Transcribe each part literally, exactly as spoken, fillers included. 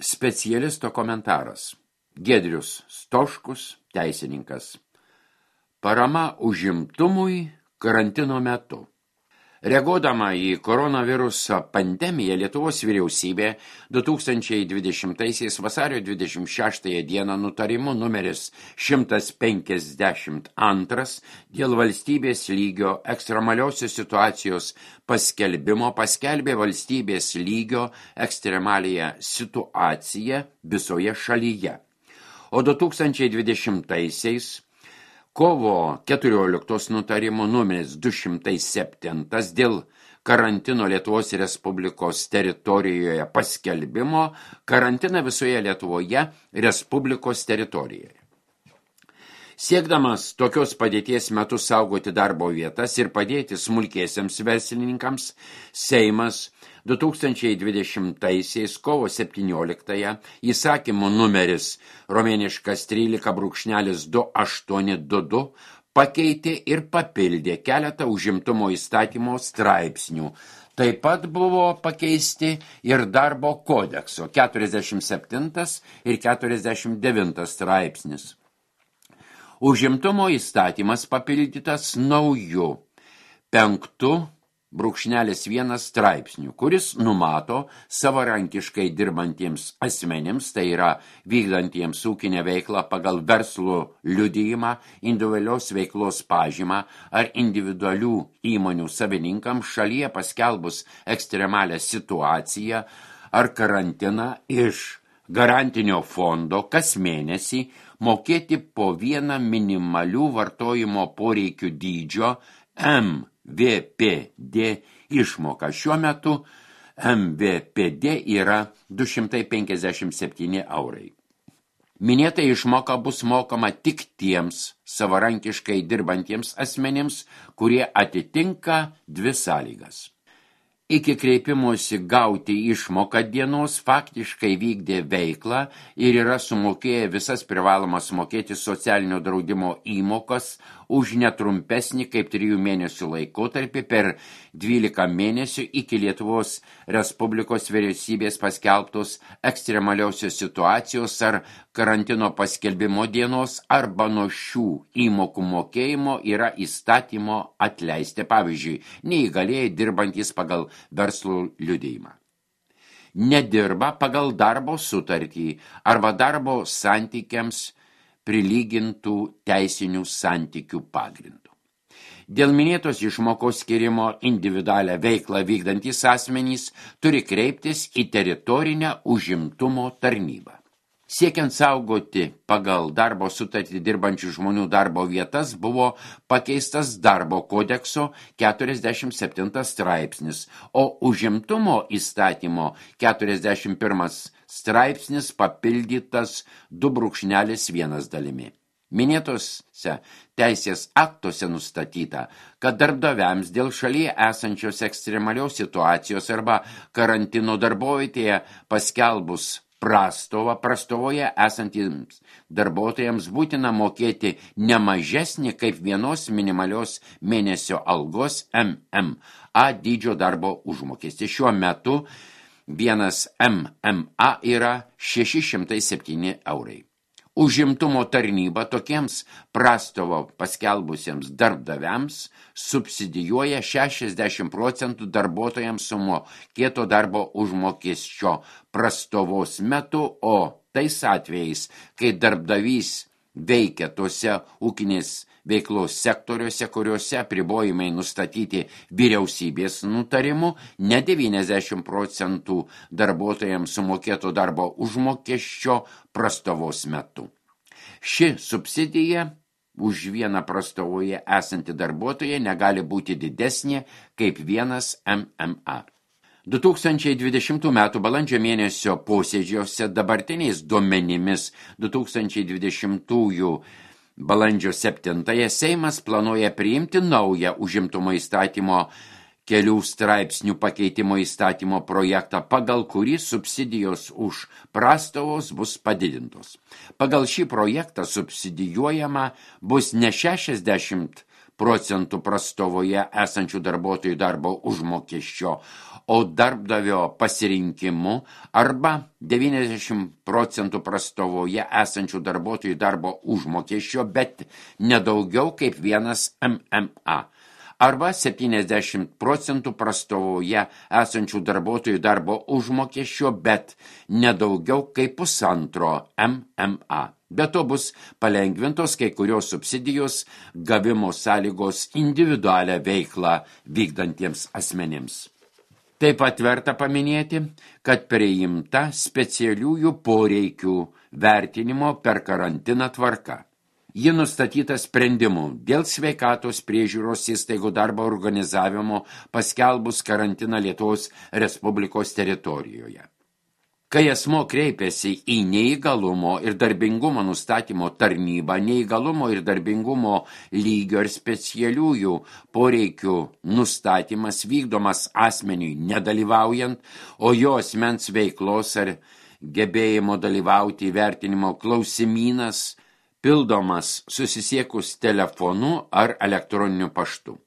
Specialisto komentaras. Giedrius Stoškus, teisininkas. Parama užimtumui karantino metu. Reaguodama į koronaviruso pandemiją, Lietuvos vyriausybė du tūkstančiai dvidešimtaisiais vasario dvidešimt šeštąją dieną nutarimu numeris šimtas penkiasdešimt antras dėl valstybės lygio ekstremaliosios situacijos paskelbimo paskelbė valstybės lygio ekstremaliąją situaciją visoje šalyje. O du tūkstančiai dvidešimtaisiais kovo keturioliktos nutarimo numeris du šimtai septintas dėl karantino Lietuvos Respublikos teritorijoje paskelbimo karantiną visoje Lietuvoje Respublikos teritorijoje. Siekdamas tokios padėties metu saugoti darbo vietas ir padėti smulkiesiems verslininkams, Seimas du tūkstančiai dvidešimtaisiais kovo septynioliktąją įsakymo numeris romėniškas trylika brūkšnelis du aštuoni du du pakeitė ir papildė keletą užimtumo įstatymo straipsnių. Taip pat buvo pakeisti ir darbo kodekso keturiasdešimt septintas ir keturiasdešimt devintas straipsnis. Užimtumo įstatymas papildytas nauju penktu brūkšnelis vienas straipsnių, kuris numato savarankiškai dirbantiems asmenims, tai yra vykdantiems ūkinę veiklą pagal verslo liudijimą, individualios veiklos pažymą ar individualių įmonių savininkams šalyje paskelbus ekstremalią situaciją ar karantiną iš garantinio fondo kas mėnesį mokėti po vieną minimalių vartojimo poreikių dydžio M V P D išmoka. Šiuo metu M V P D yra du šimtai penkiasdešimt septyni eurai. Minėta išmoka bus mokama tik tiems savarankiškai dirbantiems asmenims, kurie atitinka dvi sąlygas. Iki kreipimosi gauti išmoką dienos faktiškai vykdė veiklą ir yra sumokėję visas privalomas mokėti socialinio draudimo įmokas už netrumpesnį kaip trijų mėnesių laikotarpį per dvylika mėnesių iki Lietuvos Respublikos vyriausybės paskelbtos ekstremaliosios situacijos ar karantino paskelbimo dienos arba nuo šių įmokų mokėjimo yra įstatymo atleisti, pavyzdžiui, neįgalėjai dirbantys pagal verslo liudijimą. Nedirba pagal darbo sutartį arba darbo santykiams prilygintų teisinių santykių pagrindų. Dėl minėtos išmokos skirimo individualią veiklą vykdantys asmenys turi kreiptis į teritorinę užimtumo tarnybą. Siekiant saugoti pagal darbo sutartį dirbančių žmonių darbo vietas buvo pakeistas darbo kodekso keturiasdešimt septintas straipsnis, o užimtumo įstatymo keturiasdešimt pirmas straipsnis papildytas du brūkšnelis vienas dalimi. Minėtose teisės aktuose nustatyta, kad darbdaviams dėl šalyje esančios ekstremalios situacijos arba karantino darbovietėje paskelbus prastovą, prastovoje esantiems darbuotojams būtina mokėti ne mažesnį kaip vienos minimalios mėnesio algos M M A dydžio darbo užmokestį. Šiuo metu vienas M M A yra šeši šimtai septyni eurai. Užimtumo tarnyba tokiems prastovo paskelbusiems darbdaviams subsidijuoja šešiasdešimt procentų darbuotojams sumokėto darbo užmokesčio prastovos metu, o tais atvejais, kai darbdavys veikia tose ūkinės veiklos sektoriuose, kuriuose apribojimai nustatyti vyriausybės nutarimu, ne devyniasdešimt procentų darbuotojams sumokėto darbo užmokesčio prastovos metu. Ši subsidija už vieną prastovoje esantį darbuotoją negali būti didesnė kaip vienas M M A. du tūkstančiai dvidešimtų metų balandžio mėnesio posėdžiuose dabartiniais duomenimis du tūkstančiai dvidešimtųjų balandžio septintąją Seimas planuoja priimti naują užimtumo įstatymo kelių straipsnių pakeitimo įstatymo projektą, pagal kurį subsidijos už prastovos bus padidintos. Pagal šį projektą subsidijuojama bus ne šešiasdešimt procentų prastovoje esančių darbuotojų darbo užmokesčio, o darbdavio pasirinkimu arba devyniasdešimt procentų prastovoje esančių darbuotojų darbo užmokesčio, bet nedaugiau kaip vienas M M A. Arba septyniasdešimt procentų prastovoje esančių darbuotojų darbo užmokesčio, bet nedaugiau kaip pusantro M M A. Be to bus palengvintos kai kurios subsidijos gavimo sąlygos individualią veiklą vykdantiems asmenims. Taip pat verta paminėti, kad priimta specialiųjų poreikių vertinimo per karantiną tvarka. Ji nustatyta sprendimu dėl sveikatos priežiūros įstaigų darbo organizavimo paskelbus karantiną Lietuvos Respublikos teritorijoje. Kai asmo kreipiasi į neįgalumo ir darbingumo nustatymo tarnybą, neįgalumo ir darbingumo lygio ir specialiųjų poreikių nustatymas vykdomas asmeniui nedalyvaujant, o jo asmens veiklos ar gebėjimo dalyvauti įvertinimo klausimynas pildomas susisiekus telefonu ar elektroniniu paštu.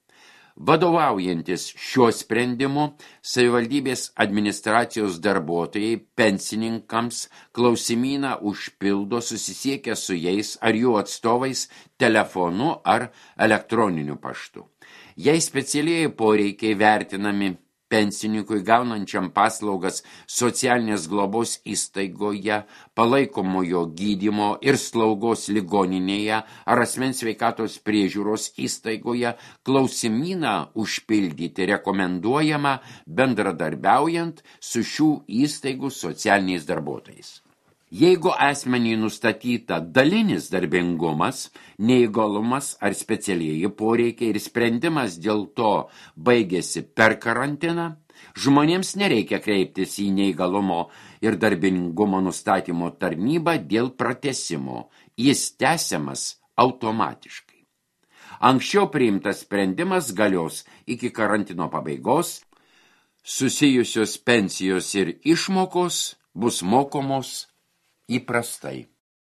Vadovaujantis šiuo sprendimu, savivaldybės administracijos darbuotojai pensininkams klausimyną užpildo susisiekę su jais ar jų atstovais telefonu ar elektroniniu paštu. Jei specialieji poreikiai vertinami pensininkui gaunančiam paslaugas socialinės globos įstaigoje, palaikomojo gydymo ir slaugos ligoninėje ar asmens sveikatos priežiūros įstaigoje, klausimyną užpildyti rekomenduojama bendradarbiaujant su šių įstaigų socialiniais darbuotojais. Jeigu asmeniui nustatyta dalinis darbingumas, neįgalumas ar specialieji poreikiai ir sprendimas dėl to baigėsi per karantiną, žmonėms nereikia kreiptis į neįgalumo ir darbingumo nustatymo tarnybą dėl pratęsimo. Jis tęsiamas automatiškai. Anksčiau priimtas sprendimas galios iki karantino pabaigos, susijusios pensijos ir išmokos bus mokomos įprastai.